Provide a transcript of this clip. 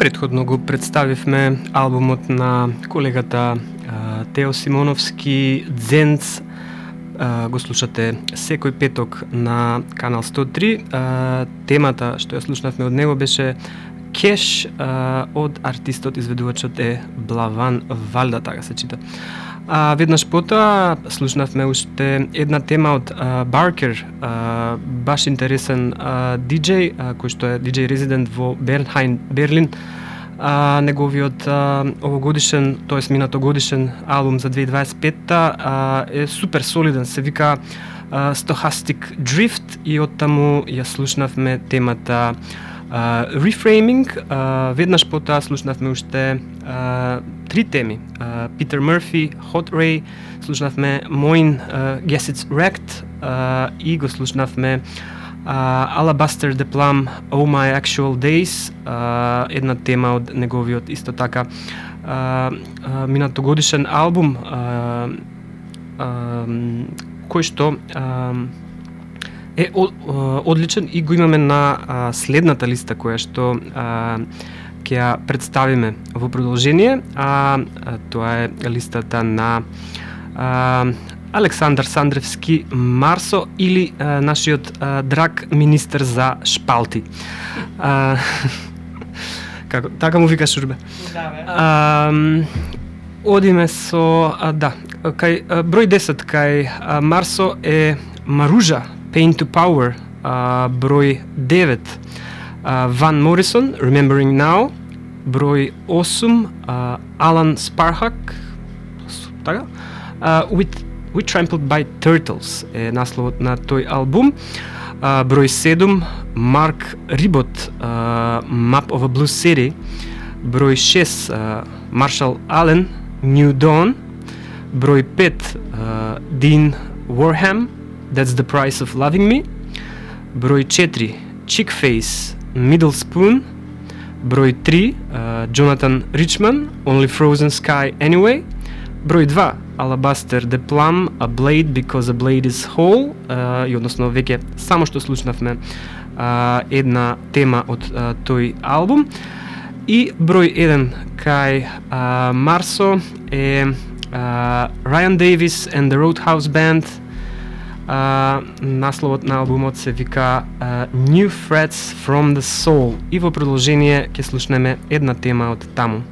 Претходно го представивме албумот на колегата Тео Симоновски Дзенц. Го слушате секој петок на Канал 103. Темата што ја слушнавме од него беше Кеш, од артистот изведувачот е Блаван Валда, така се чита. Веднаш потоа слушнавме уште една тема од Баркер, баш интересен диџеј, кој што е диџеј резидент во Бернхайм, Берлин. Неговиот овогодишен, тоест минатогодишен албум за 2025 е супер солиден, се вика Stochastic Drift, и оттаму ја слушнавме темата Reframing. Веднаш потоа слушнавме уште три теми. Питер Мърфи, Hot Ray, слушнавме Moin, Guess It's Wrecked, и го слушнавме Alabaster the Plum, Oh My Actual Days, една тема од неговиот исто така минатогодишен албум, кој што е одличен, и го имаме на следната листа која што ќе ја представиме во продолжение. Тоа е листата на Александар Сандревски Марсо, или нашиот драг министер за шпалти. Како така му викаш, Урбе? Да, бе. Одиме со кај број 10 кај Марсо е Маружа, Pain to Power. Број 9 Ван Морисон, Remembering Now. Број 8 Алан Спархак, така, We Trampled by Turtles е насловот на тој албум. Број 7 Марк Рибот, Map of a Blue City. Број 6 Маршал Ален, New Dawn. Број 5 Дин Warham, That's the Price of Loving Me. Број 4 Chickface, Middle Spoon. Број 3 Jonathan Richman, Only Frozen Sky Anyway. Број 2 Alabaster the Plum, A Blade Because a Blade is Whole, и односно веќе само што слушнавме една тема од тој албум. И број 1 кај Марсо е Ryan Davis and the Roadhouse Band. Насловот на албумот се вика New Threats from the Soul, и во продолжение ќе слушнеме една тема од таму.